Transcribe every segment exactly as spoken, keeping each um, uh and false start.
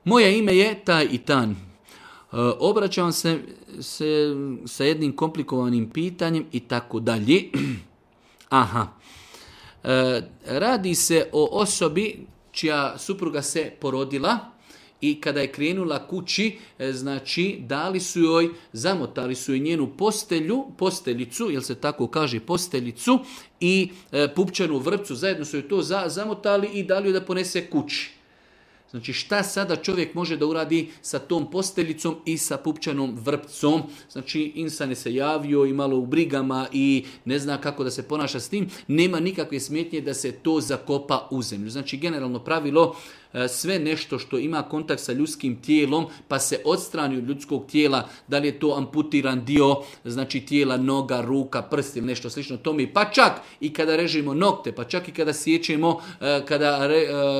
moje ime je taj i tan. Obraćam se, se sa jednim komplikovanim pitanjem i tako dalje. Aha. Radi se o osobi čija supruga se porodila i kada je krenula kući, znači dali su joj, zamotali su joj njenu postelju, posteljicu, jel se tako kaže posteljicu, i e, pupčanu vrpcu, zajedno su joj to za, zamotali i dali joj da ponese kući. Znači šta sada čovjek može da uradi sa tom posteljicom i sa pupčanom vrpcom? Znači insan je se javio i malo u brigama i ne zna kako da se ponaša s tim. Nema nikakve smetnje da se to zakopa u zemlju. Znači generalno pravilo, sve nešto što ima kontakt sa ljudskim tijelom pa se odstrani od ljudskog tijela, da li je to amputiran dio, znači tijela, noga, ruka, prst ili nešto slično tome, pa čak i kada režemo nokte, pa čak i kada sjećemo, kada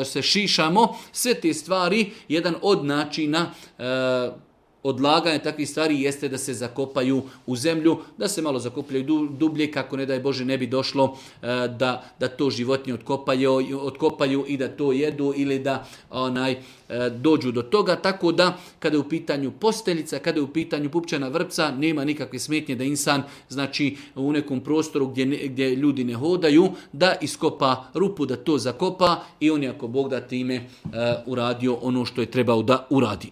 se šišamo, sve te stvari, jedan od načina odlaganje takvih stvari jeste da se zakopaju u zemlju, da se malo zakopljaju dublje, kako ne daj Bože ne bi došlo da, da to životinje otkopaju, otkopaju i da to jedu ili da onaj, dođu do toga. Tako da kada je u pitanju posteljica, kada je u pitanju pupčana vrpca, nema nikakve smetnje da insan, znači u nekom prostoru gdje, ne, gdje ljudi ne hodaju, da iskopa rupu, da to zakopa i on je ako Bog da time uh, uradio ono što je trebao da uradi.